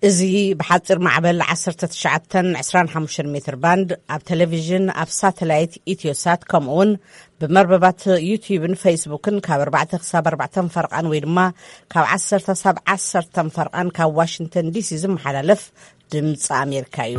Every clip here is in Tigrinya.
እዚ ብሓፂር ማዕበል ዓሰርተ ትሽዓተን ዕስራን ሓሙሽተን ሜትር ባንድ ኣብ ቴሌቪዥን፣ ኣብ ሳተላይት ኢትዮሳት፣ ከምኡ እውን ብመርበባት ዩቲዩብን ፌስቡክን ካብ ኣርባዕተ ክሳብ ኣርባዕተ ፈርቓን ወይ ድማ ካብ ዓሰርተ ክሳብ ዓሰርተ ፈርቓን ካብ ዋሽንግተን ዲሲ ዝመሓላለፍ ድምፂ ኣሜሪካ እዩ።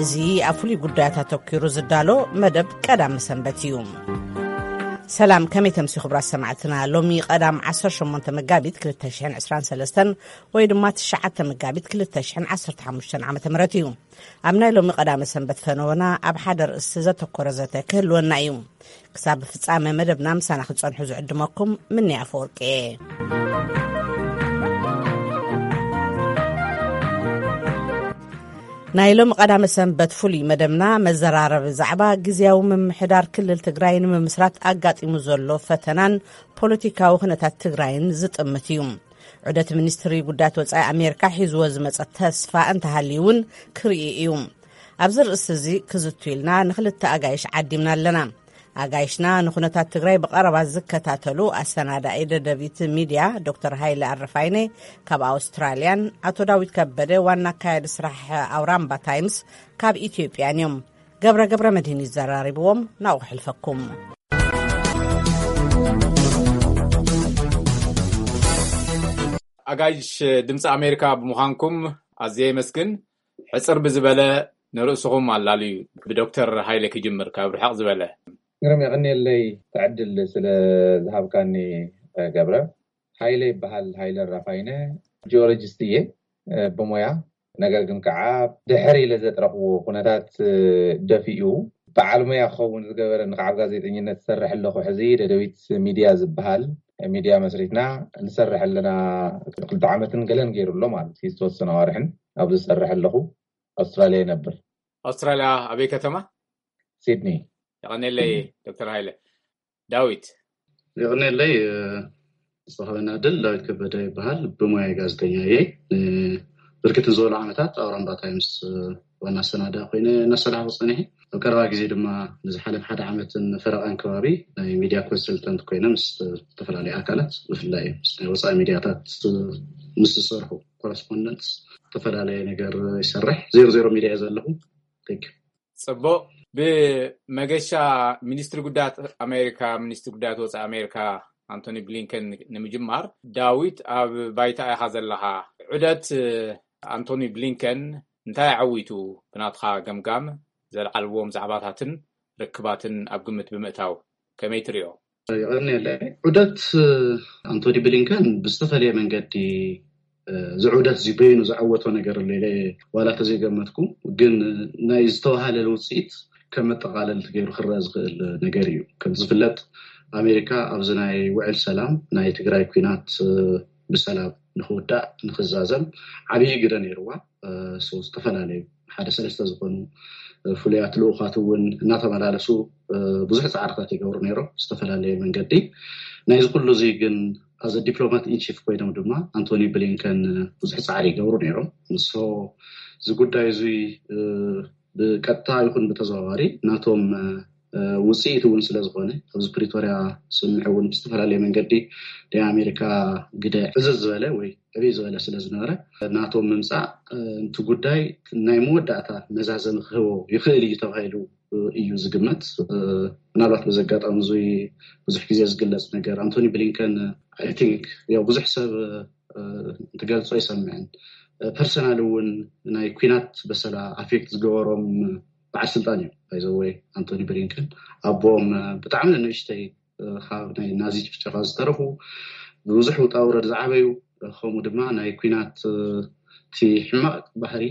እዚ ኣብ ፍሉይ ጉዳያት ኣተኲሩ ዝዳሎ መደብ ቀዳም ሰንበት እዩ። ሰላም፣ ከመይ ተምሲ ክቡራት ሰማዕትና? ሎሚ ቀዳም ዓሰርተ ሸሞንተ መጋቢት ክልተ ሽሕን ዕስራን ሰለስተን ወይ ድማ ትሽዓተ መጋቢት ክልተ ሽሕን ዓሰርተ ሓሙሽተን ዓመተ ምህረት እዩ። ኣብ ናይ ሎሚ ቀዳመ ሰንበት ፈነወና ኣብ ሓደ ርእሲ ዘተኮረ ዘተ ክህልወና እዩ። ክሳብ ፍጻመ መደብና ምሳና ክትጸንሑ ዝዕድመኩም ምንያ ኣፈወርቂ እየ። ናይ ሎሚ ቀዳመ ሰንበት ፍሉይ መደብና መዘራረቢ ዛዕባ ግዝያዊ ምምሕዳር ክልል ትግራይ ንምምስራት ኣጋጢሙ ዘሎ ፈተናን ፖለቲካዊ ኩነታት ትግራይን ዝጥምት እዩ። ዑደት ሚኒስትሪ ጉዳያት ወጻኢ ኣሜሪካ ሒዝዎ ዝመጸ ተስፋ እንተሃልዩ እውን ክርኢ እዩ። ኣብዚ ርእሲ እዚ ክዝቱ ኢልና ንክልተ ኣጋይሽ ዓዲምና ኣለና። ኣጋይሽና ንኩነታት ትግራይ ብቐረባ ዝከታተሉ ኣሰናዳኢ ደደቢት ሚድያ ዶክተር ሃይለ ኣረፋይነ ካብ ኣውስትራልያን ኣቶ ዳዊት ከበደ ዋና ኣካያዲ ስራሕ ኣውራምባ ታይምስ ካብ ኢትዮጵያን እዮም። ገብረ ገብረ መድህን ይዘራሪብዎም፣ ናብኡ ክሕልፈኩም። ኣጋይሽ ድምፂ ኣሜሪካ ብምዃንኩም ኣዝየ የመስግን። ሕፅር ብዝበለ ንርእስኹም ኣላልዩ። ብዶክተር ሃይለ ክጅምር፣ ካብ ርሕቕ ዝበለ። ግርም፣ የቐንየለይ እቲ ዕድል ስለ ዝሃብካኒ። ገብረ፣ ሃይለ ይበሃል። ሃይለ ራፋይነ፣ ጂኦሎጂስት እየ ብሞያ። ነገር ግን ከዓ ድሕር ኢለ ዘጥረኽዎ ኩነታት ደፊኡ በዓል ሞያ ክኸውን ዝገበረኒ፣ ከዓ ኣብ ጋዜጠኝነት ዝሰርሕ ኣለኹ። ሕዚ ደደቢት ሚድያ ዝበሃል ሚድያ መስሪትና ንሰርሕ ኣለና። ክልተ ዓመትን ገለን ገይሩ ኣሎ ማለት እዩ፣ ዝተወሰነ ኣዋርሕን ኣብዚ ዝሰርሕ ኣለኹ። ኣውስትራልያ ይነብር። ኣውስትራልያ ኣበይ ከተማ? ሲድኒ። የቐንየለይ ዶክተር ሃይለ። ዳዊት። የቐንየለይ። ዝተኸበና ድል ዳዊት ከበደ ይበሃል። ብሞያይ ጋዜጠኛ እየ። ብርክት ዝበሉ ዓመታት ኣውራምባ ታይምስ ዋና ኣሰናዳ ኮይነ እናሰራሕኩ ፀኒሐ። ኣብ ቀረባ ግዜ ድማ ንዝሓለፍ ሓደ ዓመትን ፈረቓን ከባቢ ናይ ሚድያ ኮንሰልተንት ኮይነ ምስ ዝተፈላለዩ ኣካላት፣ ብፍላይ ምስ ናይ ወፃኢ ሚድያታት ምስ ዝሰርሑ ኮረስፖንደንት ዝተፈላለየ ነገር ይሰርሕ። ዜሮ ዜሮ ሚድያ እየ ዘለኹ። Thank you። ጽቡቕ። ብመገሻ ሚኒስትሪ ጉዳያት ኣሜሪካ፣ ሚኒስትሪ ጉዳያት ወጻኢ ኣሜሪካ ኣንቶኒ ብሊንከን ንምጅማር፣ ዳዊት፣ ኣብ ባይታ ኢኻ ዘለኻ። ዑደት ኣንቶኒ ብሊንከን እንታይ ኣዐዊቱ ብናትኻ ገምጋም? ዘልዓልዎም ዛዕባታትን ርክባትን ኣብ ግምት ብምእታው ከመይ ትሪኦ? የቐንየለይ። ዑደት ኣንቶኒ ብሊንከን ብዝተፈለየ መንገዲ እዚ ዑደት እዚ በይኑ ዘዐወቶ ነገር ኣሎ ኢለ ዋላ ተዘይገመትኩ፣ ግን ናይ ዝተባሃለ ውፅኢት ከም መጠቓለልቲ ገይሩ ክረአ ዝኽእል ነገር እዩ። ከም ዝፍለጥ ኣሜሪካ ኣብዚ ናይ ውዕል ሰላም ናይ ትግራይ ኲናት ብሰላም ንክውዳእ ንክዛዘም ዓብዪ ግደ ነይርዋ። ሶ ዝተፈላለዩ ሓደ ሰለስተ ዝኾኑ ፍሉያት ልኡኻት እውን እናተመላለሱ ብዙሕ ፃዕርታት ይገብሩ ነይሮም ዝተፈላለየ መንገዲ። ናይዚ ኩሉ እዚ ግን ኣዘ ዲፕሎማት ኢንቺፍ ኮይኖም ድማ ኣንቶኒ ብሊንከን ብዙሕ ፃዕሪ ይገብሩ ነይሮም። ንሶ እዚ ጉዳይ እዚ ብቀጥታ ይኹን ብተዘዋዋሪ ናቶም ውፅኢት እውን ስለዝኾነ ኣብዚ ፕሪቶርያ ስምምዕ እውን ብዝተፈላለየ መንገዲ ናይ ኣሜሪካ ግደ ዕዝዝ ዝበለ ወይ ዕብይ ዝበለ ስለዝነበረ ናቶም ምምፃእ እቲ ጉዳይ ናይ መወዳእታ መዛዘሚ ክህቦ ይኽእል እዩ ተባሂሉ እዩ ዝግመት። ምናልባት በዚ ኣጋጣሚ እዚ ብዙሕ ግዜ ዝግለፅ ነገር ኣንቶኒ ብሊንከን፣ I think፣ ያው ብዙሕ ሰብ እንትገልፆ ይሰምዕን ፐርሰናል እውን ናይ ኲናት በሰላ ኣፌክት ዝገበሮም በዓል ስልጣን እዮም። ባይዘወይ ኣንቶኒ ብሊንከን ኣቦም ብጣዕሚ ንእሽተይ ካብ ናይ ናዚ ጭፍጨፋ ዝተረፉ፣ ብብዙሕ ውጣ ውረድ ዝዓበዩ፣ ከምኡ ድማ ናይ ኲናት እቲ ሕማቕ ባህሪ፣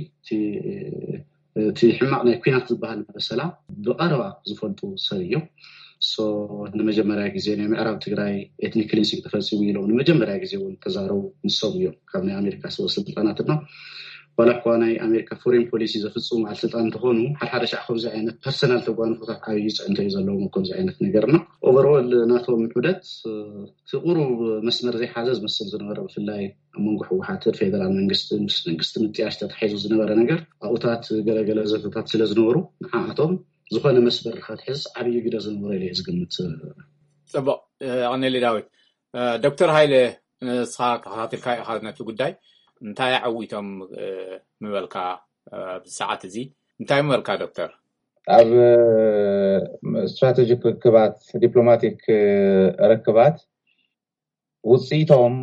እቲ ሕማቕ ናይ ኲናት ዝበሃል በሰላ ብቐረባ ዝፈልጡ ሰብ እዮም። ሶ ንመጀመርያ ግዜ ናይ ምዕራብ ትግራይ ኤትኒክ ክሊንሲንግ ተፈፂሙ ኢሎም ንመጀመርያ ግዜ እውን ተዛረቡ ንሶም እዮም፣ ካብ ናይ ኣሜሪካ ሰበ ስልጣናት ድማ። ዋላ እኳ ናይ ኣሜሪካ ፎሬን ፖሊሲ ዘፍፅሙ በዓል ስልጣን እንተኾኑ፣ ሓድሓደ ሻዕ ከምዚ ዓይነት ፐርሰናል ተጓንፎታት ዓብዪ ፅዕንቶ እዩ ዘለዎም ኣብ ከምዚ ዓይነት ነገርና። ኦቨርኦል ናቶም ዑደት እቲ ቁሩብ መስመር ዘይሓዘ ዝመስል ዝነበረ፣ ብፍላይ ኣብ መንጎ ህወሓትን ፌደራል መንግስትን ምስ መንግስቲ ምጥያሽ ተታሒዙ ዝነበረ ነገር ኣብኡታት ገለገለ ዘተታት ስለ ዝነበሩ ንዓኣቶም ዝኾነ መስመር ክትሕዝ ዓብዪ ግደ ዝነበሮ ኢለ እየ ዝግምት። ፅቡቕ። ኣቐኔሊ ዳዊት። ዶክተር ሃይለ፣ ንስኻ ተኸታትልካ ኢኻ ነቲ ጉዳይ። እንታይ ኣዕዊቶም ምበልካ? ብሰዓት እዚ እንታይ ምበልካ ዶክተር? ኣብ ስትራቴጂክ ርክባት፣ ዲፕሎማቲክ ርክባት ውፅኢቶም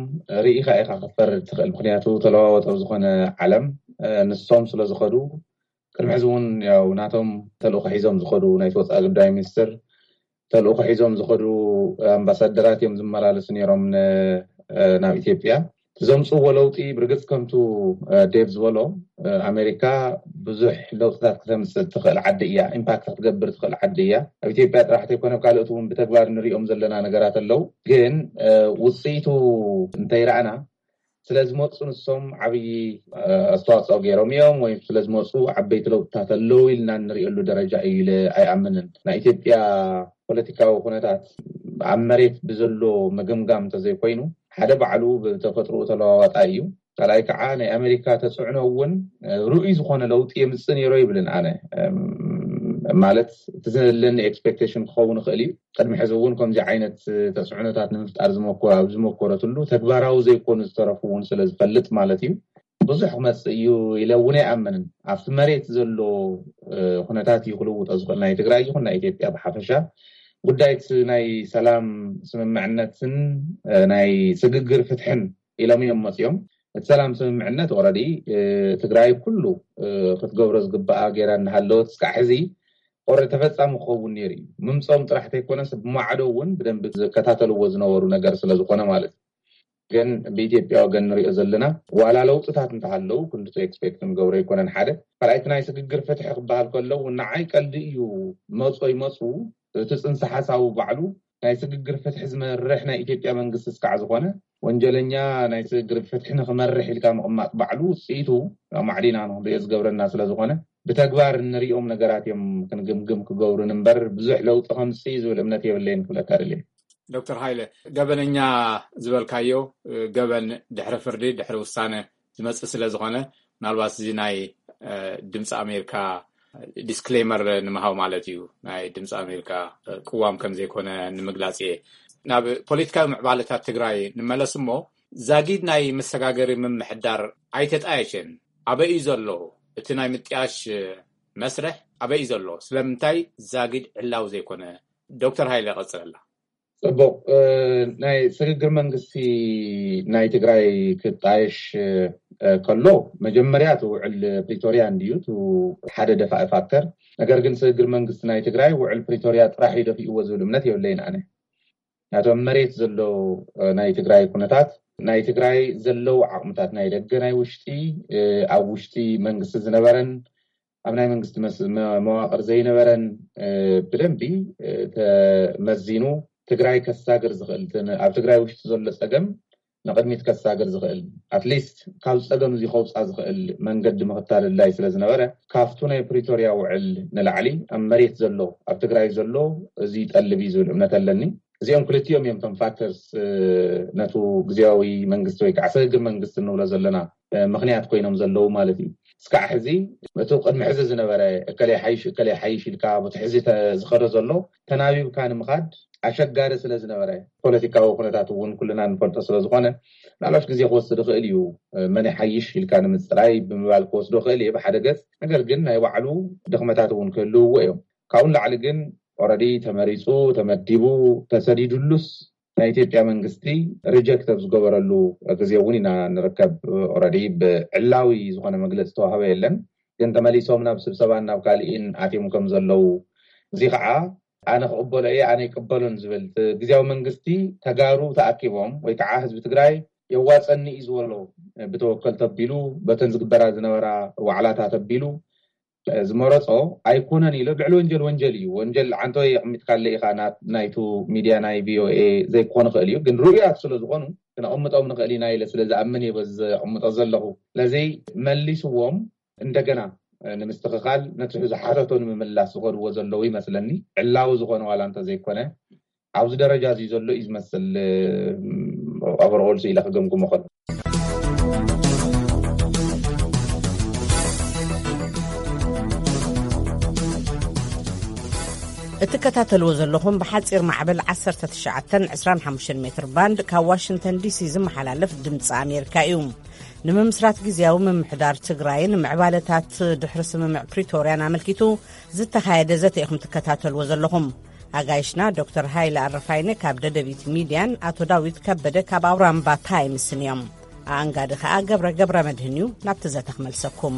ርኢኻ ኢኻ ክትፈርድ ትኽእል። ምክንያቱ ተለዋወጠ ዝኾነ ዓለም ንሶም ስለ ዝኸዱ፣ ቅድሚ ሕዚ እውን ያው ናቶም ተልእኾ ሒዞም ዝኸዱ ናይ ወፃኢ ጉዳይ ሚኒስትር ተልእኾ ሒዞም ዝኸዱ ኣምባሳደራት እዮም ዝመላለሱ ነይሮም ናብ ኢትዮጵያ። ዘምፅዎ ለውጢ ብርግፅ ከምቱ ዴቭ ዝበሎ ኣሜሪካ ብዙሕ ለውጥታት ክተምፅእ ትኽእል ዓዲ እያ፣ ኢምፓክት ክትገብር ትኽእል ዓዲ እያ። ኣብ ኢትዮጵያ ጥራሕ ተይኮነ ካልኦት እውን ብተግባር ንሪኦም ዘለና ነገራት ኣለዉ። ግን ውፅኢቱ እንተይረኣና ስለዝመፁ ንሶም ዓብዪ ኣስተዋፅኦ ገይሮም እዮም ወይ ስለዝመፁ ዓበይቲ ለውጥታት ኣለዉ ኢልና እንሪእሉ ደረጃ እዩ ኢለ ኣይኣምንን። ናይ ኢትዮጵያ ፖለቲካዊ ኩነታት ኣብ መሬት ብዘሎ ምግምጋም እንተዘይኮይኑ ሓደ ባዕሉ ብተፈጥሮ ተለዋዋጣ እዩ። ካልኣይ ከዓ ናይ ኣሜሪካ ተፅዕኖ እውን ርኡይ ዝኾነ ለውጢ የምፅእ ነይሮ ይብልን ኣነ። ማለት እቲ ዘለኒ ኤክስፔክቴሽን ክኸውን ይኽእል እዩ። ቅድሚ ሕዚ እውን ከምዚ ዓይነት ተፅዕኖታት ንምፍጣር ኣብ ዝመኮረትሉ ተግባራዊ ዘይኮኑ ዝተረፉ እውን ስለ ዝፈልጥ ማለት እዩ። ብዙሕ ክመፅእ እዩ ኢለ እውን ኣይኣምንን። ኣብቲ መሬት ዘሎ ኩነታት እዩ ክልውጦ ዝኽእል፣ ናይ ትግራይ ይኹን ናይ ኢትዮጵያ ብሓፈሻ። ጉዳይ ናይ ሰላም ስምምዕነትን ናይ ስግግር ፍትሕን ኢሎም እዮም መፅኦም። እቲ ሰላም ስምምዕነት ኦረዲ ትግራይ ኩሉ ክትገብሮ ዝግባኣ ገይራ እናሃለወት እስካዕ ሕዚ ኦረዲ ተፈፃሚ ክኸውን ነይሩ እዩ። ምምፅኦም ጥራሕ ተይኮነስ ብማዕዶ እውን ብደንቢ ዝከታተልዎ ዝነበሩ ነገር ስለዝኾነ ማለት እዩ። ግን ብኢትዮጵያ ወገን ንሪኦ ዘለና ዋላ ለውጥታት እንተሃለዉ ክንድቶ ኤክስፔክት ንገብሮ ኣይኮነን። ሓደ ካልኣይቲ ናይ ስግግር ፍትሒ ክበሃል ከለዉ ንዓይ ቀልዲ እዩ። መፁ ይመፁ እቲ ፅንሰ ሓሳቡ ባዕሉ ናይ ስግግር ፍትሒ ዝመርሕ ናይ ኢትዮጵያ መንግስቲ እስካዕ ዝኾነ ወንጀለኛ ናይ ስግግር ፍትሒ ንክመርሕ ኢልካ ምቕማጥ ባዕሉ ውፅኢቱ ማዕዲና ንክንሪኦ ዝገብረና ስለዝኾነ ብተግባር እንሪኦም ነገራት እዮም ክንግምግም ክገብሩን እምበር ብዙሕ ለውጢ ከምፅእ ዝብል እምነት የብለይን ክብለካ ደልየ። ዶክተር ሃይለ፣ ገበነኛ ዝበልካዮ ገበን ድሕሪ ፍርዲ ድሕሪ ውሳነ ዝመፅእ ስለ ዝኾነ ምናልባት እዚ ናይ ድምፂ ኣሜሪካ ዲስክሌመር ንምሃብ ማለት እዩ። ናይ ድምፂ ኣሜሪካ ቅዋም ከም ዘይኮነ ንምግላፅ እየ። ናብ ፖለቲካዊ ምዕባለታት ትግራይ ንመለስ እሞ ዛጊድ ናይ መሰጋገሪ ምምሕዳር ኣይተጣየሸን። ኣበይ እዩ ዘሎ እቲ ናይ ምጥያሽ መስርሕ? ኣበይ እዩ ዘሎ? ስለምንታይ ዛጊድ ዕላዊ ዘይኮነ? ዶክተር ሃይለ ቀፅለላ። ፅቡቅ። ናይ ስግግር መንግስቲ ናይ ትግራይ ክጣየሽ ከሎ መጀመርያ እቲ ውዕል ፕሪቶርያ እንድዩ ሓደ ደፋኢ ፋክተር። ነገር ግን ስግግር መንግስቲ ናይ ትግራይ ውዕል ፕሪቶርያ ጥራሕ እዩ ደፊእዎ ዝብል እምነት የብለይን ኣነ። ናቶም መሬት ዘሎ ናይ ትግራይ ኩነታት ናይ ትግራይ ዘለዉ ዓቕምታት ናይ ደገ ናይ ውሽጢ ኣብ ውሽጢ መንግስቲ ዝነበረን ኣብ ናይ መንግስቲ መዋቅር ዘይነበረን ብደንቢ ተመዚኑ ትግራይ ከሳግር ዝኽእል ኣብ ትግራይ ውሽጢ ዘሎ ፀገም ንቅድሚት ከሳግር ዝኽእል ኣትሊስት ካብ ፀገም እዚ ከውፃ ዝኽእል መንገዲ ምኽታል ኣድላይ ስለዝነበረ ካብቱ ናይ ፕሪቶርያ ውዕል ንላዕሊ ኣብ መሬት ዘሎ ኣብ ትግራይ ዘሎ እዚ ይጠልብ እዩ ዝብል እምነት ኣለኒ። እዚኦም ክልቲኦም እዮም ቶም ፋክተርስ ነቱ ግዜያዊ መንግስቲ ወይ ከዓ ስግግር መንግስቲ እንብሎ ዘለና ምኽንያት ኮይኖም ዘለዉ ማለት እዩ። እስካዕ ሕዚ እቲ ቅድሚ ሕዚ ዝነበረ እከለ ሓይሽ እከለ ሓይሽ ኢልካ በቲ ሕዚ ዝኸዶ ዘሎ ተናቢብካ ንምኻድ ኣሸጋሪ ስለ ዝነበረ ፖለቲካዊ ኩነታት እውን ኩልና ንፈልጦ ስለ ዝኾነ ምናልባሽ ግዜ ክወስድ ይኽእል እዩ። መን ሓይሽ ኢልካ ንምፅራይ ብምባል ክወስዶ ይኽእል እየ ብሓደ ገፅ። ነገር ግን ናይ ባዕሉ ድኽመታት እውን ክህልውዎ እዮም። ካብኡ ንላዕሊ ግን ኦረዲ ተመሪፁ ተመዲቡ ተሰዲዱሉስ ናይ ኢትዮጵያ መንግስቲ ሪጀክት ኣብ ዝገበረሉ ግዜ እውን ኢና ንርከብ። ኦረዲ ብዕላዊ ዝኾነ መግለፂ ዝተዋህበ የለን። ግን ተመሊሶም ናብ ስብሰባን ናብ ካሊእን ኣትዮም ከም ዘለዉ እዚ ከዓ ኣነ ክቕበሎ እየ ኣነ ይቅበሎን ዝብል ግዜያዊ መንግስቲ ተጋሩ ተኣኪቦም ወይ ከዓ ህዝቢ ትግራይ የዋፀኒ እዩ ዝበሎ ብተወከል ተቢሉ በተን ዝግበራ ዝነበራ ዋዕላታት ኣቢሉ ዝመረፆ ኣይኮነን ኢሎ ልዕሊ ወንጀል ወንጀል እዩ። ወንጀል ዓንቶ የቕሚጥካለ ኢኻ ናይቱ ሚድያ ናይ ቪኦኤ ዘይኮን ይኽእል እዩ ግን ርኡያት ስለ ዝኾኑ ክነቕምጦም ንኽእል ኢና ኢለ ስለ ዝኣምን እየ በዚ ዘቕምጦ ዘለኹ። ስለዚ መሊስዎም እንደገና ንምስትኽኻል ነቲ ዝሓተቶ ንምምላስ ዝኸድዎ ዘለዉ ይመስለኒ። ዕላዊ ዝኾነ ዋላ እንተዘይኮነ ኣብዚ ደረጃ እዚ ዘሎ እዩ ዝመስል። ኣበረኦል ኢለ ክገምግሞ ከሎ እትከታተልዎ ዘለኹም ብሓፂር ማዕበል ዓሰርተ ትሽዓተን ዕስራን ሓሙሽተን ሜትር ባንድ ካብ ዋሽንግተን ዲሲ ዝመሓላለፍ ድምፂ ኣሜሪካ እዩ። ንምምስራት ግዜያዊ ምምሕዳር ትግራይን ምዕባለታት ድሕሪ ስምምዕ ፕሪቶርያን ኣመልኪቱ ዝተኻየደ ዘተ ኢኹም ትከታተልዎ ዘለኹም። ኣጋይሽና ዶክተር ሃይለ ኣረፋይነ ካብ ደደቢት ሚድያን ኣቶ ዳዊት ከበደ ካብ ኣውራምባ ታይምስን እዮም። ኣኣንጋዲ ከኣ ገብረ ገብረ መድህን እዩ። ናብቲ ዘተ ክመልሰኩም።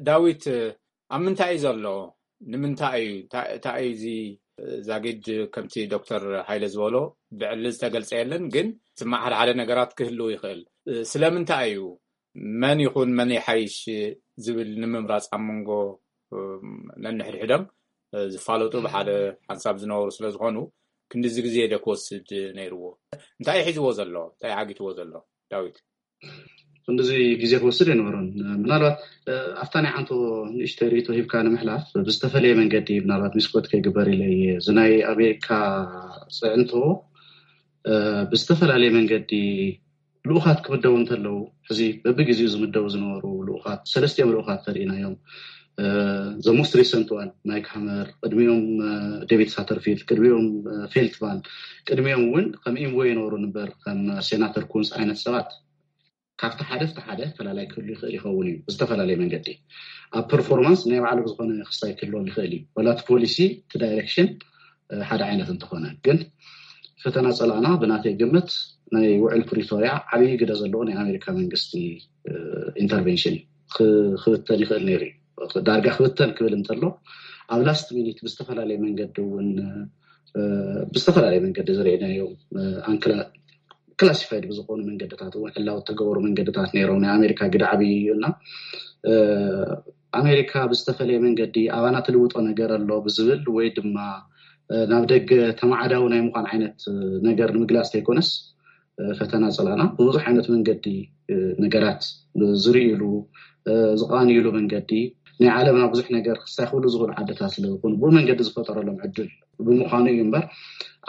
ዳዊት፣ ኣብ ምንታይ እዩ ዘሎ? ንምንታይ እዩ? እንታይ እዩ እዚ ዛጊድ? ከምቲ ዶክተር ሃይለ ዝበሎ ብዕሊ ዝተገልጸ የለን፣ ግን ስማዕ ሓደ ሓደ ነገራት ክህልው ይኽእል። ስለምንታይ እዩ? መን ይኹን መን ይሓይሽ ዝብል ንምምራጽ ኣብ መንጎ ነንሕድሕዶም ዝፋለጡ ብሓደ ሓንሳብ ዝነበሩ ስለ ዝኾኑ ክንድዚ ግዜ ዶ ክወስድ ነይርዎ? እንታይ እዩ ሒዝዎ ዘሎ? እንታይ እዩ ዓጊትዎ ዘሎ? ዳዊት። ክንድዚ ግዜ ክወስድ ኣይነበሮን። ምናልባት ኣብታ ናይ ዓንቶ ንእሽተይ ርእይቶ ሂብካ ንምሕላፍ ብዝተፈለየ መንገዲ ምናልባት ሚስኮት ከይግበር ኢለ እየ። እዚ ናይ ኣሜሪካ ፅዕንቶ ብዝተፈላለየ መንገዲ ልኡኻት ክምደቡ እንተለዉ ሕዚ በብግዜኡ ዝምደቡ ዝነበሩ ልኡኻት ሰለስቲኦም ልኡኻት ተሪኢናዮም። ዘ ሞስት ሪሰንት ዋን ማይክ ሃመር፣ ቅድሚኦም ዴቪድ ሳተርፊልድ፣ ቅድሚኦም ፌልትማን፣ ቅድሚኦም እውን ከም ኢንቮይ የነበሩ ንበር ከም ሴናተር ኩንስ ዓይነት ሰባት ካብቲ ሓደ ፍቲ ሓደ ፈላላይ ክህሉ ይኽእል ይኸውን እዩ ብዝተፈላለየ መንገዲ። ኣብ ፐርፎርማንስ ናይ ባዕሉ ብዝኾነ ክስታይ ክህልዎም ይኽእል እዩ። ወላ እቲ ፖሊሲ እቲ ዳይሬክሽን ሓደ ዓይነት እንተኾነ ግን ፈተና ጸላእና ብናተይ ግምት ናይ ውዕል ፕሪቶርያ ዓብዪ ግደ ዘለዎ ናይ ኣሜሪካ መንግስቲ ኢንተርቬንሽን ክብተን ይኽእል ነይሩ እዩ። ዳርጋ ክብተን ክብል እንተሎ ኣብ ላስት ሚኒት ብዝተፈላለየ መንገዲ እውን ብዝተፈላለየ መንገዲ ዝረእናዮም ኣንክላ ክላሲፋይድ ብዝኾኑ መንገድታት እውን ዕላዊ ተገበሩ መንገድታት ነይሮም። ናይ ኣሜሪካ ግደ ዓብዪ እዩ እና ኣሜሪካ ብዝተፈለየ መንገዲ ኣባና ትልውጦ ነገር ኣሎ ብዝብል ወይ ድማ ናብ ደገ ተማዓዳዊ ናይ ምዃን ዓይነት ነገር ንምግላፅ ተይኮነስ ፈተና ፀላእና ብብዙሕ ዓይነት መንገዲ ነገራት ዝርእይሉ ዝቃንይሉ መንገዲ ናይ ዓለምና ብዙሕ ነገር ክሳይ ክብሉ ዝኽእሉ ዓድታት ስለ ዝኾኑ ብኡ መንገዲ ዝፈጠረሎም ዕድል ብምዃኑ እዩ እምበር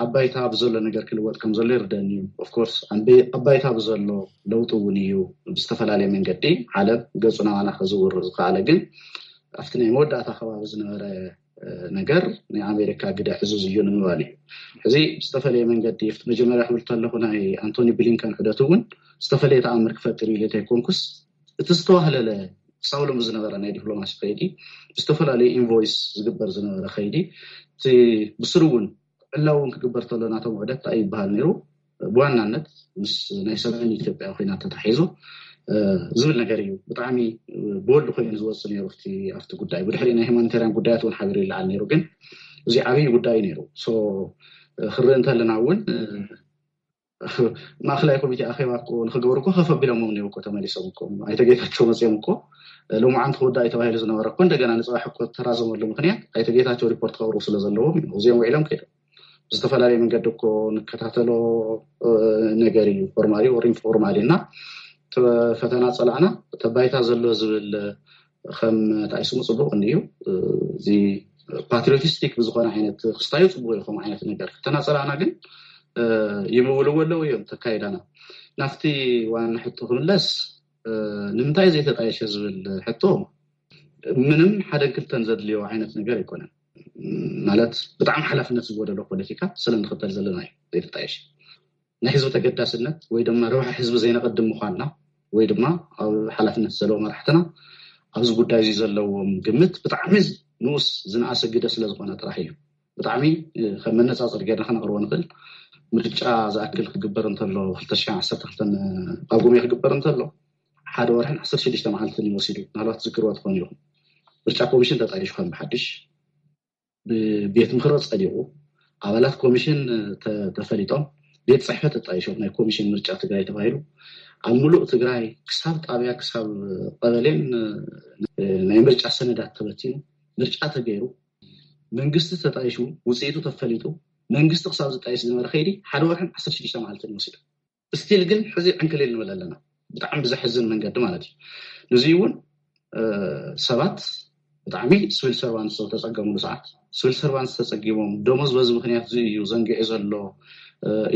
ኣብ ባይታ ብዘሎ ነገር ክልወጥ ከም ዘሎ ይርደኒ እዩ። ኦፍኮርስ ኣብ ባይታ ብዘሎ ለውጢ እውን እዩ ብዝተፈላለየ መንገዲ ዓለም ገፁ ናባና ከዝውር ዝኸኣለ። ግን ኣብቲ ናይ መወዳእታ ከባቢ ዝነበረ ነገር ናይ ኣሜሪካ ግደ ዕዙዝ እዩ ንምባል እዩ። ሕዚ ብዝተፈለየ መንገዲ ኣብቲ መጀመርያ ክብል ከለኹ ናይ ኣንቶኒ ብሊንከን ዑደት እውን ዝተፈለየ ተኣምር ክፈጥር ኢለ ተይኮንኩስ እቲ ዝተዋህለለ ክሳብ ሎሚ ዝነበረ ናይ ዲፕሎማሲ ከይዲ ብዝተፈላለዩ ኢንቮይስ ዝግበር ዝነበረ ከይዲ እቲ ብስሩ እውን ዕላዊ እውን ክግበር ተሎ ናቶም ውዕደት እንታይ ይበሃል ነይሩ ብዋናነት ምስ ናይ ሰሜን ኢትዮጵያ ኮይና ተታሒዙ ዝብል ነገር እዩ። ብጣዕሚ ቦልድ ኮይኑ ዝወፅእ ነይሩ ኣብቲ ጉዳይ። ብድሕሪ ናይ ሂማኒታርያን ጉዳያት እውን ሓቢሩ ይለዓል ነይሩ። ግን እዚ ዓብዪ ጉዳይ ነይሩ። ክርኢ እንተለና እውን ማእኸላይ ኮሚቴ ኣኼባ እኮ ንክገብሩ እኮ ከፍ ኣቢሎሞም ነይሩ እኮ ተመሊሶም እኮ ኣይተ ጌታቸው መፅኦም እኮ ሎማዓንቲ ክውዳእ ተባሂሉ ዝነበረ እኮ እንደገና ንፅባሕ እኮ ተራዘመሉ ምክንያት ኣይተ ጌታቸው ሪፖርት ከቕርቡ ስለ ዘለዎም እዩ። እዚኦም ውዒሎም ከይዶም ብዝተፈላለየ መንገዲ እኮ ንከታተሎ ነገር እዩ። ፎርማሊ ወር ኢንፎርማሊ እና ፈተና ፀላእና ተባይታ ዘሎ ዝብል ከም ታይስሙ ፅቡቅ እንድዩ። እዚ ፓትሪዮቲስቲክ ብዝኾነ ዓይነት ክስታዩ ፅቡቅ ይኾም ዓይነት ነገር ፈተና ፀላእና ግን ይምውልዎ ኣለዉ እዮም ተካይዳና ናፍቲ ዋና ሕቶ ክምለስ ንምንታይ ዘይተጣየሸ ዝብል ሕቶ ምንም ሓደን ክልተን ዘድልዮ ዓይነት ነገር ኣይኮነን። ማለት ብጣዕሚ ሓላፍነት ዝጎደሎ ፖለቲካ ስለ ንኽተል ዘለና እዩ ዘይተጣየሸ። ናይ ህዝቢ ተገዳስነት ወይ ድማ ረብሓ ህዝቢ ዘይነቐድም ምዃንና ወይ ድማ ኣብ ሓላፍነት ዘለዎ መራሕትና ኣብዚ ጉዳይ እዚ ዘለዎም ግምት ብጣዕሚ ንኡስ ዝነኣሰ ግደ ስለ ዝኾነ ጥራሕ እዩ። ብጣዕሚ ከም መነፃፀሪ ጌርና ከነቕርቦ ንኽእል ምርጫ ዝኣክል ክግበር እንተሎ ክልተ ሽሕን ዓሰርተ ክልተን ኣብ ጎሜ ክግበር እንተሎ ሓደ ወርሕን ዓሰርተ ሽዱሽተ መዓልትን እዩ ወሲዱ። ምናልባት ዝክርዋ ትኾኑ ኢኹም። ምርጫ ኮሚሽን ተጣይሹ ከም ብሓድሽ ብቤት ምኽሪ ጸዲቑ ኣባላት ኮሚሽን ተፈሊጦም ቤት ፅሕፈት ተጣይሾም ናይ ኮሚሽን ምርጫ ትግራይ ተባሂሉ ኣብ ሙሉእ ትግራይ ክሳብ ጣብያ ክሳብ ቀበሌን ናይ ምርጫ ሰነዳት ተበቲኑ፣ ምርጫ ተገይሩ፣ መንግስቲ ተጣይሹ፣ ውፅኢቱ ተፈሊጡ፣ መንግስቲ ክሳብ ዝጣይሽ ዝነበረ ከይዲ ሓደ ወርሕን ዓሰርተ ሽዱሽተ መዓልትን ይወስድ። ስቲል ግን ሕዚ ዕንክሊል ንብል ኣለና፣ ብጣዕሚ ብዘሕዝን መንገዲ ማለት እዩ። ንዚ እውን ሰባት ብጣዕሚ ስቪል ሰርቫንት ዝተፀገሙሉ ሰዓት፣ ስቪል ሰርቫንት ዝተፀጊሞም፣ ደሞዝ በዚ ምክንያት እዚ እዩ ዘንጊዑ ዘሎ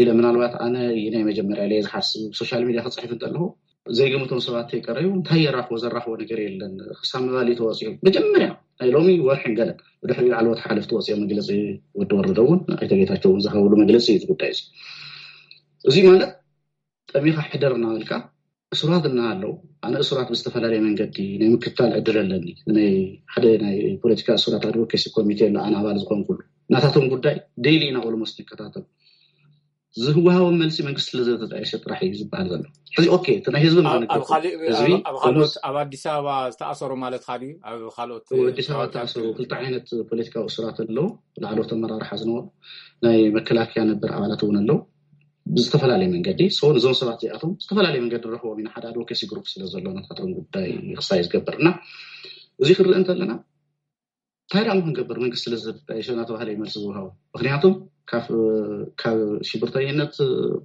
ኢለ፣ ምናልባት ኣነ ናይ መጀመርያ ኢለ ዝሓስብ፣ ሶሻል ሚድያ ክፅሕፍ እንተለኹ ዘይገምቶም ሰባት ተይቀረዩ እንታይ የራኽቦ፣ ዘራኽቦ ነገር የለን። ክሳብ ምባል ተወፂኦም መጀመርያ ናይ ሎሚ ወርሕን ገለን ብድሕሪ ዓለወት ሓለፍቲ ወፂኦም መግለፂ ወዲ ወረደ እውን ኣይተጌታቸው እውን ዝሃብሉ መግለፂ እዩ። ጉዳይ እዚ እዚ ማለት ጠሚኻ ሕደር እናበልካ እሱራት እናሃለው ኣነ እሱራት ብዝተፈላለየ መንገዲ ናይ ምክትታል ዕድል ኣለኒ። ናይ ሓደ ናይ ፖለቲካ እሱራት ኣድቮኬሲ ኮሚቴ ኣሎ ኣነ ኣባል ዝኾንኩሉ፣ ናታቶም ጉዳይ ዴይሊ ኢና ኦልሞስት ንከታተል። ዝህወሃቦም መልሲ መንግስቲ ስለዘተጣየሸ ጥራሕ እዩ ዝበሃል ዘሎ። ሕዚ ኦኬ እቲ ናይ ህዝቢ ኣብ ካልኦት ኣብ ኣዲስ ኣበባ ዝተኣሰሩ ማለት ካዲ ኣብ ካልኦት ኣዲስ ኣበባ ዝተኣሰሩ ክልተ ዓይነት ፖለቲካዊ እሱራት ኣለዉ። ላዕለዎት ኣመራርሓ ዝነበሩ ናይ መከላከያ ነበር ኣባላት እውን ኣለዉ። ብዝተፈላለየ መንገዲ ሰው እዞም ሰባት እዚኣቶም ዝተፈላለየ መንገዲ ንረኽቦም ኢና። ሓደ ኣድቮኬሲ ግሩፕ ስለ ዘሎ ናታቶም ጉዳይ ክሳይ ዝገብር እና እዚ ክርኢ እንተለና እንታይ ደኣ ክንገብር መንግስቲ ስለ ዝተጣየሸ እናተባሃለ ይመልሲ ዝውሃቡ። ምክንያቱም ካብ ሽብርተኝነት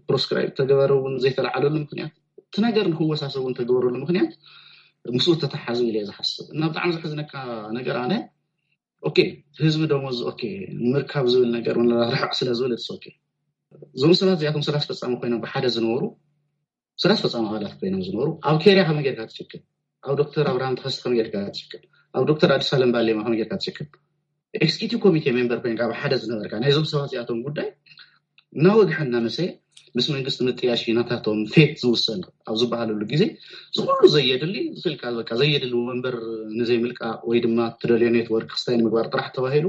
ፕሮስክራይብ ተገበረ እውን ዘይተለዓለሉ ምክንያት እቲ ነገር ንክወሳሰብ እውን ተገበረሉ ምክንያት ምስኡ ተተሓዙ ኢለ ዝሓስብ እና ብጣዕሚ ዘሕዝነካ ነገር ኣነ ኦኬ ህዝቢ ደሞዝ ኦኬ ንምርካብ ዝብል ነገር ርሕቕ ስለ ዝብል ኦኬ እዞም ሰባት እዚኣቶም ስራሕ ፈጻሚ ኮይኖም ብሓደ ዝነበሩ ስራሕ ፈጻሚ ኣባላት ኮይኖም ዝነበሩ ኣብ ኬርያ ከመይ ጌርካ ትሽክል፣ ኣብ ዶክተር ኣብርሃም ተኸስተ ከመይ ጌርካ ትሽክል፣ ኣብ ዶክተር ኣዲስ ኣለም ባሌማ ከመይ ጌርካ ትሽክል፣ ኤክስኪዩቲቭ ኮሚቴ ሜምበር ኮይንካ ብሓደ ዝነበርካ ናይዞም ሰባት እዚኣቶም ጉዳይ እናወግሐ እናመሰየ ምስ መንግስቲ ምጥያሽ ናታቶም ፌት ዝውሰን ኣብ ዝበሃለሉ ግዜ ዝኩሉ ዘየድሊ ዝክልካ በቃ ዘየድሊ ወንበር ንዘይምልቃ ወይ ድማ ትደልዮ ኔትወርክ ክስታይ ንምግባር ጥራሕ ተባሂሉ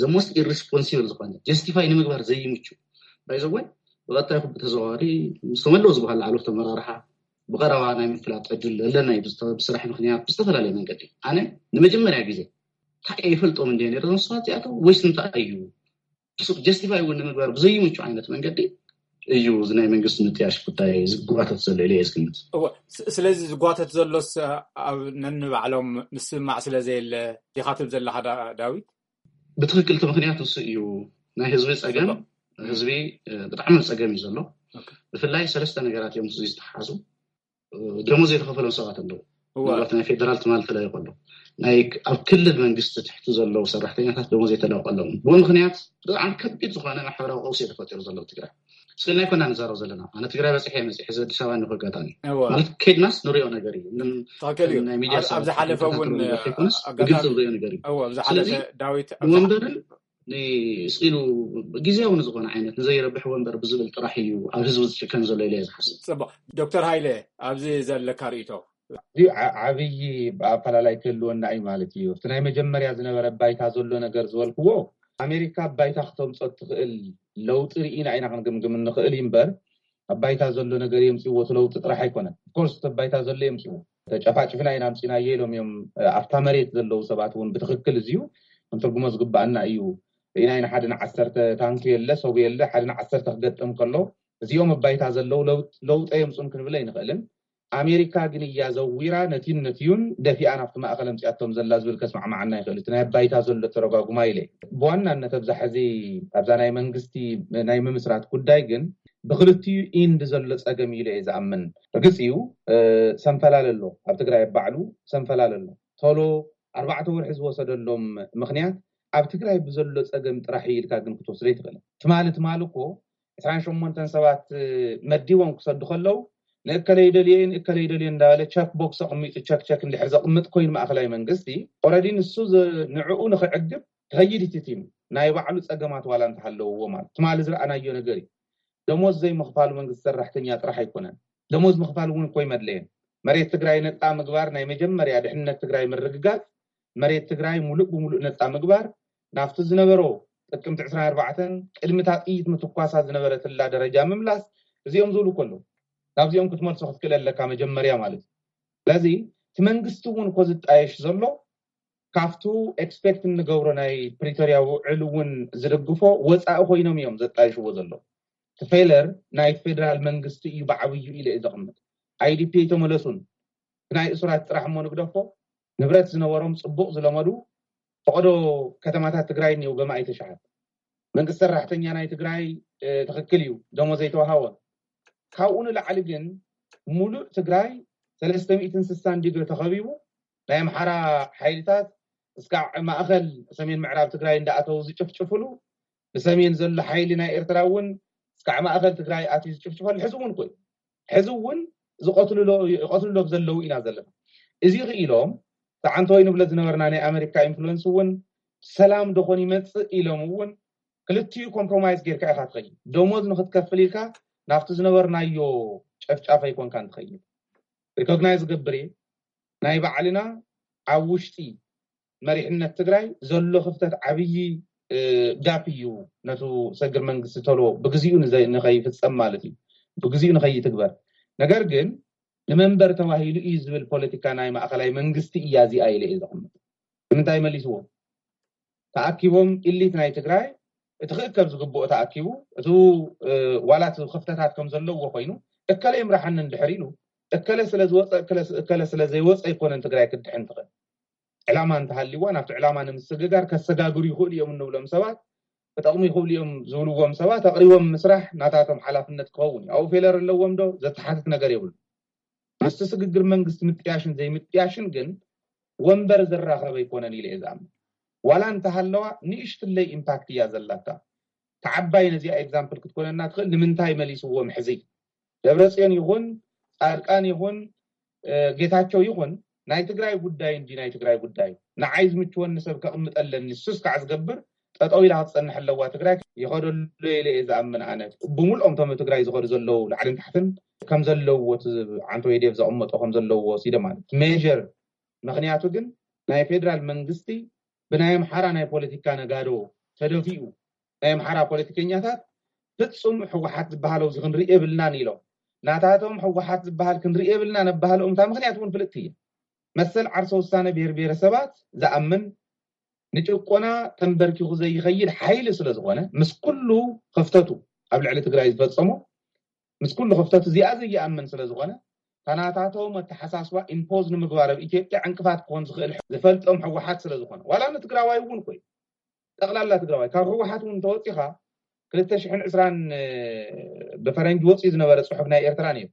ዘሞስት ኢሪስፖንሲብል ዝኾነ ጀስቲፋይ ንምግባር ዘይምቹ ባይዘወን ብቐጣይ ኩ ብተዘዋዋሪ ምስ ተመለዉ ዝበሃል ላዕለዎት ኣመራርሓ ብቐረባ ናይ ምፍላጥ ዕድል ኣለና እዩ። ብስራሕ ምክንያት ብዝተፈላለየ መንገዲ ኣነ ንመጀመርያ ግዜ እንታይ ይፈልጦም እንደ ነረ ዞም ሰባት እዚኣቶም ወይስ እንታይ እዩ ጀስቲፋይ እውን ንምግባር ብዘይምቹ ዓይነት መንገዲ እዩ እዚ ናይ መንግስቲ ምጥያሽ ጉዳይ ዝጓተት ዘሎ ኢለ እየ ዝግምት። ስለዚ ዝጓተት ዘሎስ ኣብ ነንባዕሎም ምስምማዕ ስለ ዘየለ ዲኻ ትብል ዘለኻ ዳዊት? ብትክክል እቲ ምክንያት ንሱ እዩ። ናይ ህዝቢ ፀገም ህዝቢ ብጣዕሚ ፀገም እዩ ዘሎ። ብፍላይ ሰለስተ ነገራት እዮም ምስ ዝተሓዙ ደሞዝ ዘይተኸፈሎም ሰባት ኣለዉ። ምናልባት ናይ ፌደራል ትማል ተለይቆ ኣሎ ናይ ኣብ ክልል መንግስቲ ትሕቲ ዘለዉ ሰራሕተኛታት ደሞዝ ዘይተለቆሎም ብኡ ምክንያት ብጣዕሚ ከቢድ ዝኾነ ማሕበራዊ ቀውሲ ተፈጢሩ ዘሎ ትግራይ ስለ ናይ ኮና ንዛረብ ዘለና ኣነ ትግራይ በፅሐ መፅሐ እዚ ኣዲስ ኣበባ ንኮ ኣጋጣሚ ማለት ከድናስ ንሪኦ ነገር እዩ። ኣብ ዝሓለፈ እውን ግልፂ ንሪኦ ነገር እዩ። ስለዚ ዳዊት ወንበርን ስኢሉ ግዜያዊ ንዝኾነ ዓይነት ንዘይረብሕ ወንበር ብዝብል ጥራሕ እዩ ኣብ ህዝቢ ዝጭከን ዘሎ ኢለ ዝሓስብ። ፅቡቅ ዶክተር ሃይለ ኣብዚ ዘለካ ርእቶ ዓብይ ኣፈላላይ ክህልወና እዩ ማለት እዩ። እቲ ናይ መጀመርያ ዝነበረ ባይታ ዘሎ ነገር ዝበልክዎ ኣሜሪካ ባይታ ክተምፀ ትኽእል ለውጢ ርኢና ኢና ክንግምግም እንኽእል እዩ እምበር ኣብ ባይታ ዘሎ ነገር የምፅዎ እቲ ለውጢ ጥራሕ ኣይኮነን። ኮርስ እቲ ባይታ ዘሎ የምፅዎ ተጨፋጭፍና ኢና ኣምፂናዮ ኢሎም እዮም። ኣብታ መሬት ዘለዉ ሰባት እውን ብትክክል እዚዩ ክንትርጉሞ ዝግባኣና እዩ። ርኢና ኢና ሓደ ንዓሰርተ ታንኪ የለ ሰቡ የለ ሓደ ንዓሰርተ ክገጥም ከሎ እዚኦም ኣብ ባይታ ዘለዉ ለውጠ የምፁን ክንብል ኣይንኽእልን። ኣሜሪካ ግን እያ ዘዊራ ነቲን ነቲዩን ደፊኣ ናብቲ ማእኸል ኣምፅኣቶም ዘላ ዝብል ከስማዕማዓና ይኽእል እቲ ናይ ኣባይታ ዘሎ ተረጓጉማ ኢለ። ብዋናነት ኣብዛ ሕዚ ኣብዛ ናይ መንግስቲ ናይ ምምስራት ጉዳይ ግን ብክልቲኡ ኢንድ ዘሎ ፀገም ኢለ እየ ዝኣምን። ርግፅ እዩ ሰንፈላል ኣሎ ኣብ ትግራይ ኣባዕሉ ሰንፈላል ኣሎ ቶሎ ኣርባዕተ ወርሒ ዝወሰደሎም ምክንያት ኣብ ትግራይ ብዘሎ ፀገም ጥራሕ ኢልካ ግን ክትወስዶ ይትኽእል። ትማሊ ትማሊ እኮ ዕስራን ሸሞንተን ሰባት መዲቦም ክሰዱ ከለዉ ንእከለይ ደልየ ንእከለይ ደልየ እንዳበለ ቸክ ቦክስ ኣቕሚጡ ቸክ ቸክ እንድሕር ዘቕምጥ ኮይኑ ማእኸላይ መንግስቲ ኦረዲ ንሱ ንዕኡ ንክዕግብ ክኸይድ እቲ ቲም ናይ ባዕሉ ፀገማት ዋላ እንተሃለውዎ ማለት ትማሊ ዝረኣናዮ ነገር እዩ። ደሞዝ ዘይምኽፋሉ መንግስቲ ሰራሕተኛ ጥራሕ ኣይኮነን። ደሞዝ ምኽፋል እውን እኮ ይመድለየን። መሬት ትግራይ ነፃ ምግባር ናይ መጀመርያ ድሕነት ትግራይ ምርግጋፅ መሬት ትግራይ ሙሉእ ብሙሉእ ነፃ ምግባር ናብቲ ዝነበሮ ጥቅምቲ ዕስራን ኣርባዕተን ቅድሚ እታ ጥይት ምትኳሳ ዝነበረትላ ደረጃ ምምላስ እዚኦም ዝብሉ ከለዉ ናብዚኦም ክትመልሶ ክትክእል ኣለካ መጀመርያ ማለት እዩ። ስለዚ እቲ መንግስቲ እውን እኮ ዝጣየሽ ዘሎ ካብቱ ኤክስፔክት እንገብሮ ናይ ፕሪቶርያ ውዕል እውን ዝድግፎ ወፃኢ ኮይኖም እዮም ዘጣይሽዎ ዘለዉ። እቲ ፌለር ናይ ፌደራል መንግስቲ እዩ ብዓብዩ ኢለ እዩ ዘቕምጥ። ኣይዲፒ ኣይተመለሱን። ናይ እሱራት ጥራሕ እሞ ንግደፎ፣ ንብረት ዝነበሮም ጽቡቕ ዝለመዱ ፈቐዶ ከተማታት ትግራይ እኒው ገማይ ተሽዓት። መንግስቲ ሰራሕተኛ ናይ ትግራይ ትክክል እዩ፣ ደሞዝ ዘይተዋሃወ። ካብኡ ንላዕሊ ግን ሙሉእ ትግራይ ሰለስተ ሚእትን ስሳን ዲግሪ ተኸቢቡ፣ ናይ ኣምሓራ ሓይልታት እስካዕ ማእኸል ሰሜን ምዕራብ ትግራይ እንዳኣተው ዝጭፍጭፍሉ፣ ብሰሜን ዘሎ ሓይሊ ናይ ኤርትራ እውን እስካዕ ማእኸል ትግራይ ኣትዩ ዝጭፍጭፈሉ ሕዚ እውን ኮይ ሕዚ እውን ዝቀትልሎ ዘለዉ ኢና ዘለና። እዚ ክኢሎም ተዓንተወይ ንብለ ዝነበርና ናይ ኣሜሪካ ኢንፍሉንስ እውን ሰላም ዶኾን ይመፅእ ኢሎም እውን ክልቲኡ ኮምፕሮማይዝ ጌርካ ኢካ ትኸይድ። ደሞዝ ንክትከፍል ኢልካ ናብቲ ዝነበርናዮ ጨፍጫፍ ኣይኮንካን ትኸይድ። ሪኮግናይዝ ዝገብር እየ። ናይ ባዕልና ኣብ ውሽጢ መሪሕነት ትግራይ ዘሎ ክፍተት ዓብዪ ጋፕ እዩ። ነቱ ሰግር መንግስቲ ተሎ ብግዚኡ ንኸይፍፀም ማለት እዩ፣ ብግዚኡ ንኸይትግበር። ነገር ግን ንመንበር ተባሂሉ እዩ ዝብል ፖለቲካ ናይ ማእኸላይ መንግስቲ እያ እዚኣ ኢለ እየ ዘቕምጥ። ንምንታይ መሊስዎ? ተኣኪቦም ኢሊት ናይ ትግራይ እቲ ክእከብ ዝግብኦ ተኣኪቡ፣ እቲ ዋላት ክፍተታት ከም ዘለዎ ኮይኑ፣ እከለ ይምራሓኒ እንድሕር ኢሉ፣ እከለ ስለ ዝወፀ እከለ ስለ ዘይወፀ ኣይኮነን ትግራይ ክትድሕን ትኽእል። ዕላማ እንተሃልይዋ ናብቲ ዕላማ ንምስግጋር ከሰጋግሩ ይኽእሉ እዮም እንብሎም ሰባት፣ ክጠቕሙ ይኽእሉ እዮም ዝብልዎም ሰባት ኣቕሪቦም ምስራሕ ናታቶም ሓላፍነት ክኸውን እዩ። ኣብኡ ፌለር ኣለዎም ዶ ዘተሓትት ነገር የብሉ። ምስቲ ስግግር መንግስቲ ምጥያሽን ዘይምጥያሽን ግን ወንበር ዘራኸበ ኣይኮነን ኢለ እየ ዝኣምን። ዋላ እንተሃለዋ ንእሽትለይ ኢምፓክት እያ ዘላታ። ተዓባይ ነዚኣ ኤግዛምፕል ክትኮነና ትኽእል። ንምንታይ መሊስዎም ሕዚ ደብረፅዮን ይኹን ፃድቃን ይኹን ጌታቸው ይኹን ናይ ትግራይ ጉዳይ እንዲ ናይ ትግራይ ጉዳይ ንዓይ ዝምችወኒ ሰብ ከቕምጠለኒ ሱስ ከዓ ዝገብር ጠጠው ኢላ ክትፀንሕ ኣለዋ ትግራይ። ይኸደሉ ኢለ እየ ዝኣምን ኣነ። ብምልኦም ቶም ትግራይ ዝኸዱ ዘለዉ ላዕልን ታሕትን ከም ዘለውዎ ዓንቶ ዴቭ ዘቐመጦ ከም ዘለውዎ ሲደ ማለት ሜር ምክንያቱ ግን ናይ ፌደራል መንግስቲ ብናይ ኣምሓራ ናይ ፖለቲካ ነጋዶ ተደፊኡ ናይ ኣምሓራ ፖለቲከኛታት ፍፁም ህወሓት ዝበሃለው እዚ ክንርኢ የብልናን ኢሎም ናታቶም ህወሓት ዝበሃል ክንርኢ የብልና ነባህልኦም እታ ምክንያት እውን ፍልጥቲ እየ። መሰል ዓርሰ ውሳነ ብሄር ብሄረሰባት ዝኣምን ንጭቆና ተንበርኪኹ ዘይኸይድ ሓይሊ ስለ ዝኾነ ምስ ኩሉ ክፍተቱ ኣብ ልዕሊ ትግራይ ዝፈፀሞ ምስ ኩሉ ክፍተቱ እዚኣ ዘይኣምን ስለ ዝኾነ ታናታቶም ኣተሓሳስባ ኢምፖዝ ንምግባር ኣብ ኢትዮጵያ ዕንቅፋት ክኾን ዝኽእል ዝፈልጦም ህወሓት ስለ ዝኾነ ዋላ ንትግራዋይ እውን ኮይ ጠቕላላ ትግራዋይ ካብ ህወሓት እውን ተወፂኻ ክልተ ሽሕን ዕስራን ብፈረንጂ ወፂኡ ዝነበረ ፅሑፍ ናይ ኤርትራ ነይሩ።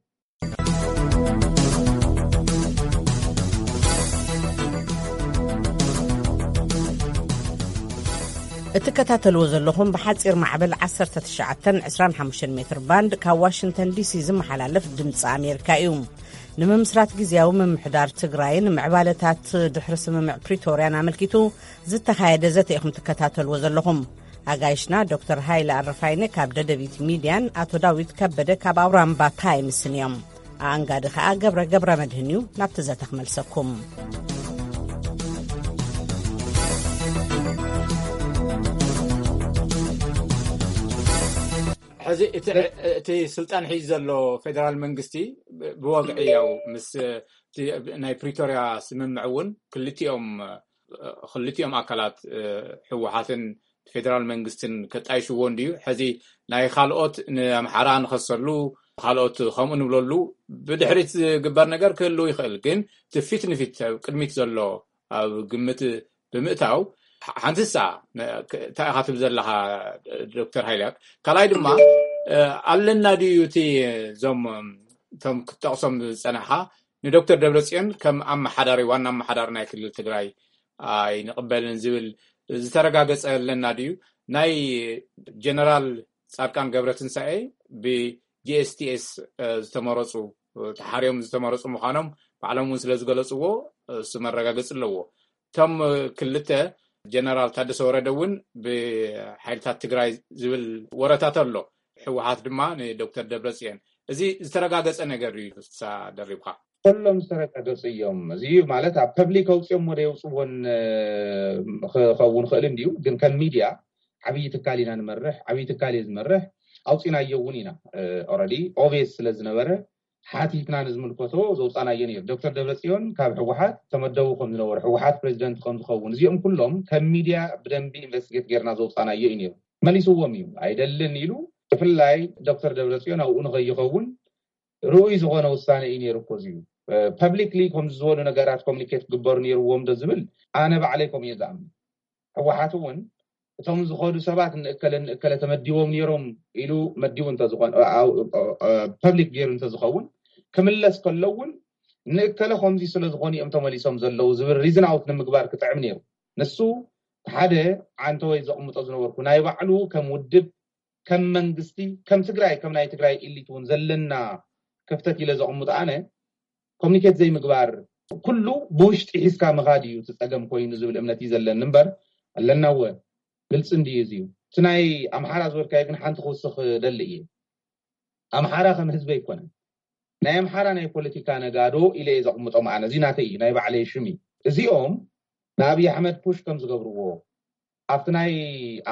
እትከታተልዎ ዘለኹም ብሓፂር ማዕበል ዓሰርተ ትሽዓተን ዕስራን ሓሙሽተን ሜትር ባንድ ካብ ዋሽንግተን ዲሲ ዝመሓላለፍ ድምፂ ኣሜሪካ እዩ። ንምምስራት ግዜያዊ ምምሕዳር ትግራይን ምዕባለታት ድሕሪ ስምምዕ ፕሪቶርያን ኣመልኪቱ ዝተኻየደ ዘተ ኢኹም ትከታተልዎ ዘለኹም። ኣጋይሽና ዶክተር ሃይለ ኣረፋይነ ካብ ደደቢት ሚድያን ኣቶ ዳዊት ከበደ ካብ ኣውራምባ ታይምስን እዮም። ኣኣንጋዲ ከኣ ገብረ ገብረ መድህን እዩ። ናብቲ ዘተ ክመልሰኩም። ሕዚ እቲ ስልጣን ሒዙ ዘሎ ፌደራል መንግስቲ ብወግዒ ያው ምስ ናይ ፕሪቶርያ ስምምዕ እውን ክልቲኦም ክልቲኦም ኣካላት ህወሓትን ፌደራል መንግስትን ከጣይሽዎ እንድዩ። ሕዚ ናይ ካልኦት ንኣምሓራ ንኸሰሉ ካልኦት ከምኡ ንብለሉ ብድሕሪት ዝግበር ነገር ክህልው ይኽእል። ግን እቲ ፊት ንፊት ኣብ ቅድሚት ዘሎ ኣብ ግምት ብምእታው ሓንቲ ንሳ እንታይ ኢኻ ትብል ዘለኻ ዶክተር ሃይልያክ ካልኣይ ድማ ኣለና ድዩ እቲ እዞም እቶም ክትጠቕሶም ዝፀናሕኻ ንዶክተር ደብረፅዮን ከም ኣመሓዳሪ ዋና ኣመሓዳሪ ናይ ክልል ትግራይ ኣይንቕበልን ዝብል ዝተረጋገፀ ኣለና ድዩ? ናይ ጀነራል ፃድቃን ገብረትንሳኤ ብጂኤስቲኤስ ዝተመረፁ ተሓርዮም ዝተመረፁ ምዃኖም ባዕሎም እውን ስለ ዝገለፅዎ እሱ መረጋገፂ ኣለዎ። እቶም ክልተ ጀነራል ታደሰ ወረደ እውን ብሓይልታት ትግራይ ዝብል ወረታት ኣሎ። ህወሓት ድማ ንዶክተር ደብረፅዮን እዚ ዝተረጋገፀ ነገር እዩ። ሳ ደሪብካ ከሎም ዝተረጋገፁ እዮም። እዚ ማለት ኣብ ፐብሊክ ኣውፅኦም ወደ የውፅዎን ክኸውን ክእል እንዲዩ። ግን ከም ሚድያ ዓብዪ ትካል ኢና ንመርሕ፣ ዓብዪ ትካል እየ ዝመርሕ፣ ኣውፂናዮ እውን ኢና። ኦረዲ ኦቤስ ስለ ዝነበረ ሓቲትና ንዝምልከቶ ዘውፃናዮ ነይሩ። ዶክተር ደብረፅዮን ካብ ህወሓት ተመደቡ ከም ዝነበሩ ህወሓት ፕሬዚደንት ከም ዝኸውን እዚኦም ኩሎም ከም ሚድያ ብደንቢ ኢንቨስቲጌት ጌርና ዘውፃናዮ እዩ ነይሩ። መሊስዎም እዩ። ኣይደልን ኢሉ ብፍላይ ዶክተር ደብረፅዮን ኣብኡ ንኸይኸውን ርኡይ ዝኾነ ውሳነ እዩ ነይሩ እኮ እዚዩ። ፐብሊክሊ ከምዚ ዝበሉ ነገራት ኮሚኒኬት ክግበሩ ነይርዎም ዶ ዝብል ኣነ ባዕለይ ከምኡ እየ ዝኣምን። ህወሓት እውን እቶም ዝኸዱ ሰባት ንእከለ ንእከለ ተመዲቦም ነይሮም ኢሉ መዲቡ እንተዝኾን ፐብሊክ ገይሩ እንተዝኸውን ክምለስ ከሎ እውን ንእከለ ከምዚ ስለ ዝኾኑ እዮም ተመሊሶም ዘለዉ ዝብል ሪዝን ኣውት ንምግባር ክጥዕም ነይሩ። ንሱ ሓደ ዓንተወይ ዘቕምጦ ዝነበርኩ ናይ ባዕሉ ከም ውድብ ከም መንግስቲ ከም ትግራይ ከም ናይ ትግራይ ኢሊት እውን ዘለና ክፍተት ኢለ ዘቕምጦ ኣነ ኮሚኒኬት ዘይምግባር ኩሉ ብውሽጢ ሒዝካ ምኻድ እዩ እቲ ፀገም ኮይኑ ዝብል እምነት እዩ ዘለኒ እምበር ኣለናወ ግልፂ እንድዩ እዚ እዩ። እቲ ናይ ኣምሓራ ዝበልካዮ ግን ሓንቲ ክውስኽ ደሊ እየ። ኣምሓራ ከም ህዝቢ ኣይኮነን። ናይ ኣምሓራ ናይ ፖለቲካ ነጋዶ ኢለ እየ ዘቕምጦም ኣነ። እዚ ናተይ እዩ፣ ናይ ባዕለይ ሽም እዩ። እዚኦም ንኣብይ ኣሕመድ ፑሽ ከም ዝገብርዎ ኣብቲ ናይ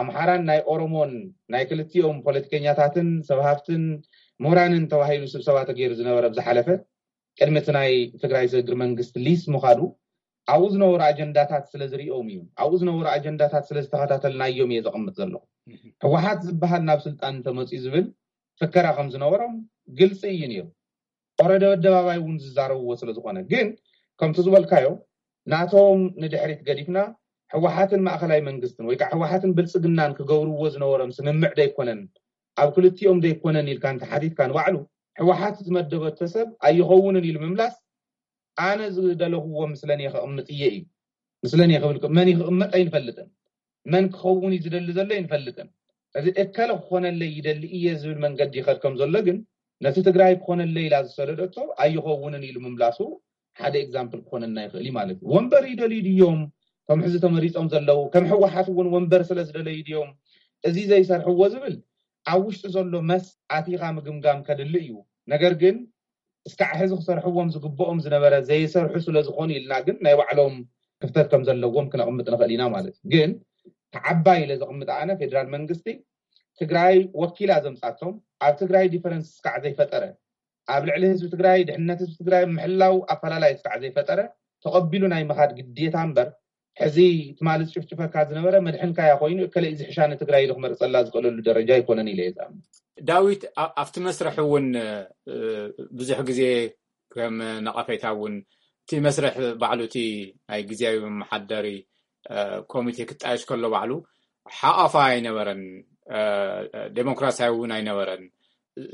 ኣምሓራን ናይ ኦሮሞን ናይ ክልቲኦም ፖለቲከኛታትን ሰብ ሃፍትን ምሁራንን ተባሂሉ ስብሰባ ተገይሩ ዝነበረ ብዝሓለፈ ቅድሚ እቲ ናይ ትግራይ ስግግር መንግስቲ ሊስ ምኻዱ ኣብኡ ዝነበሩ ኣጀንዳታት ስለ ዝሪኦም እዩ። ኣብኡ ዝነበሩ ኣጀንዳታት ስለ ዝተኸታተልናዮም እየ ዘቕምጥ ዘለኹ። ህወሓት ዝበሃል ናብ ስልጣን እንተመፅኡ ዝብል ፍከራ ከም ዝነበሮም ግልፂ እዩ ነይሩ። ኦረደ ኣደባባይ እውን ዝዛረብዎ ስለ ዝኾነ ግን ከምቲ ዝበልካዮ ናቶም ንድሕሪት ገዲፍና ህወሓትን ማእኸላይ መንግስትን ወይ ከዓ ህወሓትን ብልፅግናን ክገብርዎ ዝነበሮም ስምምዕ ደይኮነን ኣብ ክልቲኦም ደይኮነን ኢልካ እንተሓቲትካ ንባዕሉ ህወሓት ዝመደበቶ ሰብ ኣይኸውንን ኢሉ ምምላስ ኣነ ዝደለኽዎ ምስለኒ ከቕምጥ እየ እዩ። ምስለኒ ክብል መን ክቕመጥ ኣይንፈልጥን። መን ክኸውን እዩ ዝደሊ ዘሎ ኣይንፈልጥን። እዚ እከለ ክኾነለይ ይደሊ እየ ዝብል መንገዲ ይኸድ ከም ዘሎ ግን ነቲ ትግራይ ክኾነለይ ኢላ ዝሰደደቶ ኣይኸውንን ኢሉ ምምላሱ ሓደ ኤግዛምፕል ክኾነና ይኽእል እዩ ማለት እዩ። ወንበር ይደልዩ ድዮም? ከም ሕዚ ተመሪፆም ዘለዉ ከም ህወሓት እውን ወንበር ስለ ዝደለዩ ድዮም እዚ ዘይሰርሕዎ ዝብል ኣብ ውሽጢ ዘሎ መስ ኣቲኻ ምግምጋም ከድሊ እዩ። ነገር ግን እስካዕ ሕዚ ክሰርሕዎም ዝግብኦም ዝነበረ ዘይሰርሑ ስለ ዝኾኑ ኢልና ግን ናይ ባዕሎም ክፍተት ከም ዘለዎም ክነቕምጥ ንኽእል ኢና ማለት እዩ። ግን ተዓባይ ኢለ ዘቕምጥ ኣነ ፌደራል መንግስቲ ትግራይ ወኪላ ዘምፃቶም ኣብ ትግራይ ዲፈረንስ እስካዕ ዘይፈጠረ ኣብ ልዕሊ ህዝቢ ትግራይ ድሕነት ህዝቢ ትግራይ ምሕላው ኣፈላላይ እስካዕ ዘይፈጠረ ተቐቢሉ ናይ ምኻድ ግዴታ እምበር ሕዚ ትማሊ ዝጭፍጭፈካ ዝነበረ መድሕንካያ ኮይኑ እከለ እዚ ሕሻ ንትግራይ ኢሉ ክመርፀላ ዝኽእለሉ ደረጃ ኣይኮነን ኢለ እየ ዝኣምን። ዳዊት ኣብቲ መስርሕ እውን ብዙሕ ግዜ ከም ነቐፌታ እውን እቲ መስርሕ ባዕሉ እቲ ናይ ግዜያዊ መመሓደሪ ኮሚቴ ክጣየሽ ከሎ ባዕሉ ሓቋፋ ኣይነበረን፣ ዴሞክራሲያዊ እውን ኣይነበረን።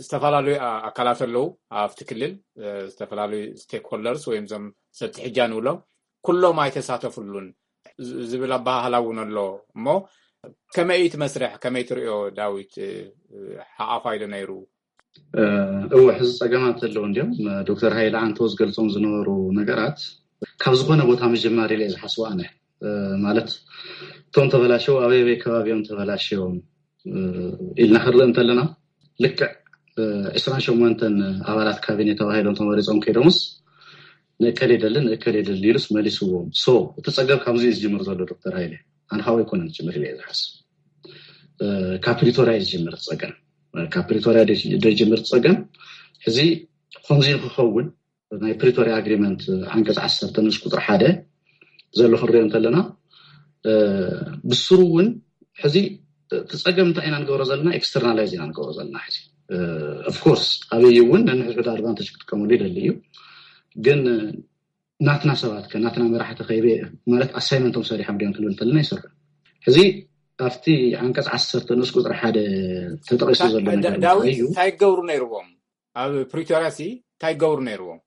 ዝተፈላለዩ ኣካላት ኣለዉ ኣብቲ ክልል፣ ዝተፈላለዩ ስቴክሆልደርስ ወይም ዞም ሰብቲ ሕጃ ንብሎም ኩሎም ኣይተሳተፍሉን ዝብል ኣበሃህላ እውን ኣሎ። እሞ ከመይ እቲ መስርሕ ከመይ ትሪኦ ዳዊት? ሓቋፋ ኢሉ ነይሩ። እወ ሕዚ ፀገማት ኣለዉ እንዲም ዶክተር ሃይለ ዓንተው ዝገልፆም ዝነበሩ ነገራት ካብ ዝኾነ ቦታ ምጅማር ኢለ ዝሓስቡ ኣነ ማለት እቶም ተበላሸው ኣበይ ኣበይ ከባቢ እዮም ተበላሸዮም ኢልና ክንርኢ እንተለና ልክዕ ዕስራን ሸሞንተን ኣባላት ካቢኔ ተባሂሎም ተመሪፆም ከይዶምስ ንእከል የደልን ንእከል የደልን ኢሉስ መሊስዎም። ሶ እቲ ፀገም ካብዚ እዩ ዝጅምር ዘሎ ዶክተር ሃይለ ኣንሃው ኣይኮነን ዝጅምር ኢለ ዝሓስብ ካብ ፕሪቶሪያ እዩ ዝጅምር እቲ ፀገም ካብ ፕሪቶሪያ ደይጅምር እቲ ፀገም ሕዚ ከምዚ ክኸውን ናይ ፕሪቶሪያ ኣግሪመንት ዓንቀፅ ዓሰርተ ንኡስ ቁፅሪ ሓደ ዘሎ ክንሪኦ እንተለና ብስሩ እውን ሕዚ እቲ ፀገም እንታይ ኢና ንገብሮ ዘለና ኤክስተርናላይዝ ኢና ንገብሮ ዘለና ሕዚ ኦፍኮርስ ኣበይ እውን ነንሕድሕዱ ኣድቫንቴጅ ክጥቀመሉ ይደሊ እዩ ግን ናትና ሰባት ከ ናትና መራሕቲ ከይበ ማለት ኣሳይመንቶም ሰሪሖም ድዮም ክንብል እንተለና ይሰርሑ ሕዚ ኣብቲ ዓንቀፅ ዓሰርተ ንኡስ ቁፅሪ ሓደ ተጠቂሱ ዘሎ ነገር ዳዊት እንታይ ክገብሩ ነይርዎም ኣብ ፕሪቶሪያ ሲ እንታይ ክገብሩ ነይርዎም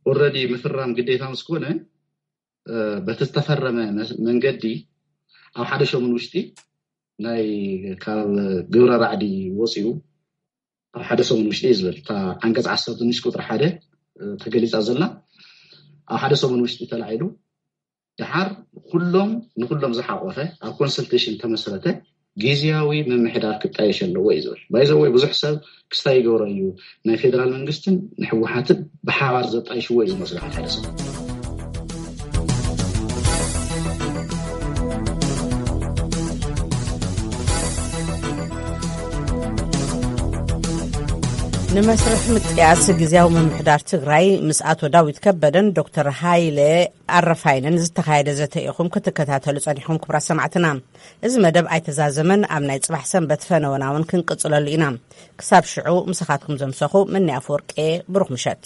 ኦረዲ ምፍራም ግዴታ ምስ ኮነ በቲ ዝተፈረመ መንገዲ ኣብ ሓደ ሸሙን ውሽጢ ናይ ካብ ግብረ ራዕዲ ወፂኡ ኣብ ሓደ ሰሙን ውሽጢ እዩ ዝብል እታ ዓንቀፅ ዓሰርተ ንሽ ቁፅሪ ሓደ ተገሊፃ ዘላ ኣብ ሓደ ሰሙን ውሽጢ ተላዒሉ ድሓር ኩሎም ንኩሎም ዝሓቆፈ ኣብ ኮንሰልቴሽን ተመስረተ ግዝያዊ ምምሕዳር ክጣየሽ ኣለዎ እዩ ዝብል ባይዘወይ ብዙሕ ሰብ ክስታይ ይገብሮ እዩ ናይ ፌደራል መንግስትን ንሕወሓትን ብሓባር ዘጣይሽዎ እዩ ዝመስሉ ሓደ ሓደ ሰብ ብመስርሕ ምጥያስ ግዜያዊ ምምሕዳር ትግራይ ምስ ኣቶ ዳዊት ከበደን ዶክተር ሃይለ ኣረፋይነን ዝተኻየደ ዘተ ኢኹም ክትከታተሉ ጸኒሕኩም፣ ክቡራት ሰማዕትና። እዚ መደብ ኣይተዛዘመን፣ ኣብ ናይ ጽባሕ ሰንበት ፈነወና እውን ክንቅጽለሉ ኢና። ክሳብ ሽዑ ምሳኻትኩም ዘምሰኹ ምንያ ኣፈወርቄ፣ ብሩኽ ምሸት።